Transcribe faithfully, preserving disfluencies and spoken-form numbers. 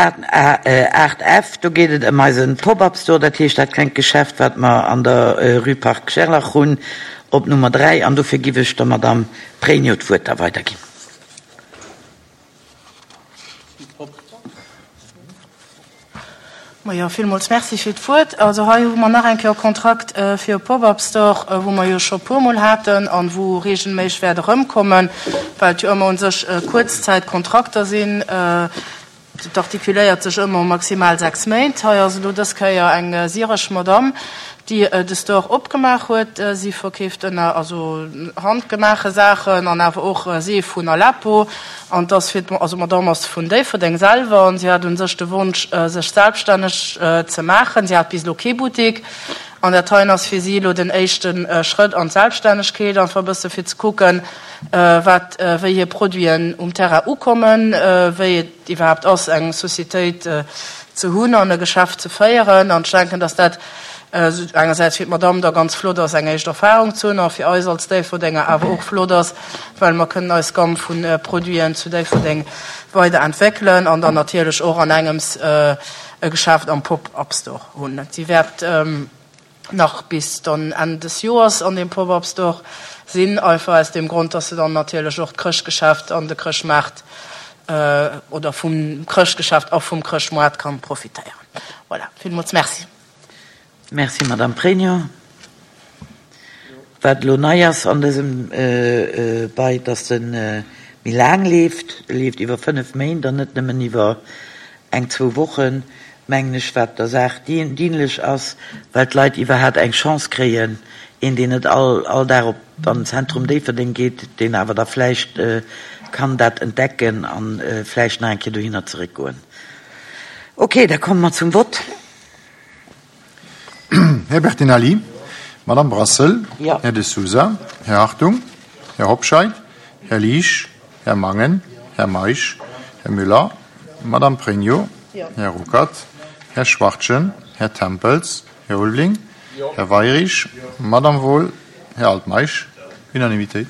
aacht F, do geet et ëm eise Pop-up-Store, dat heescht dat klengt Geschäft, wat mer an der Rue Parc Gerlach hunn, op Nummer dräi. An dofir giff ech der Madame Pregno d'Wuert da weiderginn. Majo, villmools Merci fir d'Wuert. Also hei hu mer nach eng Kéier e Kontrakt fir e Pop-up-Store, wou mer jo scho puermol haten an wou regelméisseg wäert erëmkommen, well et jo ëmmer u sech Kuerzzäitkontrakter sinn. Et artikuléiert sech ëmmer maximal sechs Méint. Hei ass elo dës Kéier eng syresch Madamm, déi de Store opgemaach huet. Si verkeeft ënner, also handgemaache Saachen an awer och Seef vun Aleppo. An et ass fir, also d'Madamm ass vun Déifferdeng selwer an si hat u sech de Wonsch, sech selbststänneg ze maachen. Si hat bis elo kee Buttek an dat heien ass fir si elo den éischte Schrëtt an d'Selbststännegkeet, einfach e bësse fir ze kucken, wat, wéi hir Produiten um Terrain ukommen, wéi et iwwerhaapt ass, eng Societéit ze hunn an e Geschäft ze féieren. An ech denken, dass dat engersäits fir d'Madamm da ganz flott ass, eng éischt Erfahrung ze hunn, a fir eis als Déifferdenger awer och flott ass, well mer kënnen eis Gamme vu Produiten zu Déifferdeng weiderentwéckelen an dann natierlech och an engems e Geschäft am Pop-up-Store hunn. Si wäert nach bis dann Enn des Joers an deem Pop-up-Store sinn, einfach aus deem Grond, dass se dann natierlech och d'Chrëschtgeschäft an de Chrëschtmaart oder vum Chrëschtgeschäft a vum Chrëschtmoart kann profitéieren. Voilà, villmools Merci. Merci, Madame Pregno. Wat elo nei ass an dësem Bail, dass e méi laang leeft, e leeft iwwer fënnef Méint an net nëmmen iwwer eng, zwou Wochen, mengen ech, wat der Saach dienlech ass, well d'Leit iwwerhaapt eng Chance kréien, een, deen net all all Dag op an den Zentrum Déifferdeng geet, deen awer da vläicht kann dat entdecken a vläicht nach eng Kéier dohinner zeréckgoen. Okay, da komme mer zum Vott. Här Bertinelli, Madame Brassel, Ja. Här De Sousa, Här Hartung, Här Hobscheit, Här Liesch, Här Mangen, Här Meisch, Här Müller, Madame Pregno, Ja. Här Ruckert, Här Schwachtgen, Här Tempels, Här Ulveling, Här Weyrich, Madame Wohl, Här Altmeisch. Unanimitéit.